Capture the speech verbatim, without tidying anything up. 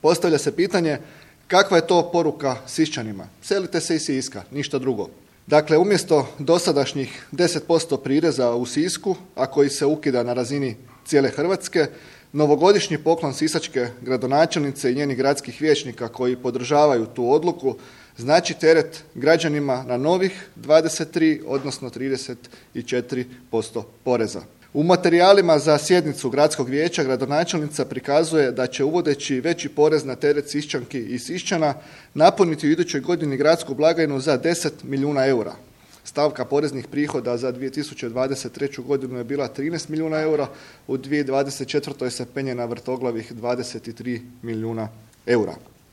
Postavlja se pitanje kakva je to poruka Siščanima? Selite se iz Siska, ništa drugo. Dakle, umjesto dosadašnjih deset posto prireza u Sisku, a koji se ukida na razini cijele Hrvatske, novogodišnji poklon sisačke gradonačelnice i njenih gradskih vijećnika koji podržavaju tu odluku znači teret građanima na novih dvadeset tri, odnosno trideset četiri posto poreza. U materijalima za sjednicu gradskog vijeća gradonačelnica prikazuje da će uvodeći veći porez na teret Siščanki i Siščana napuniti u idućoj godini gradsku blagajnu za deset milijuna eura. Stavka poreznih prihoda za dvije tisuće dvadeset treću godinu je bila trinaest milijuna eura, u dvije tisuće dvadeset četvrtoj se penje na vrtoglavih dvadeset tri milijuna eura.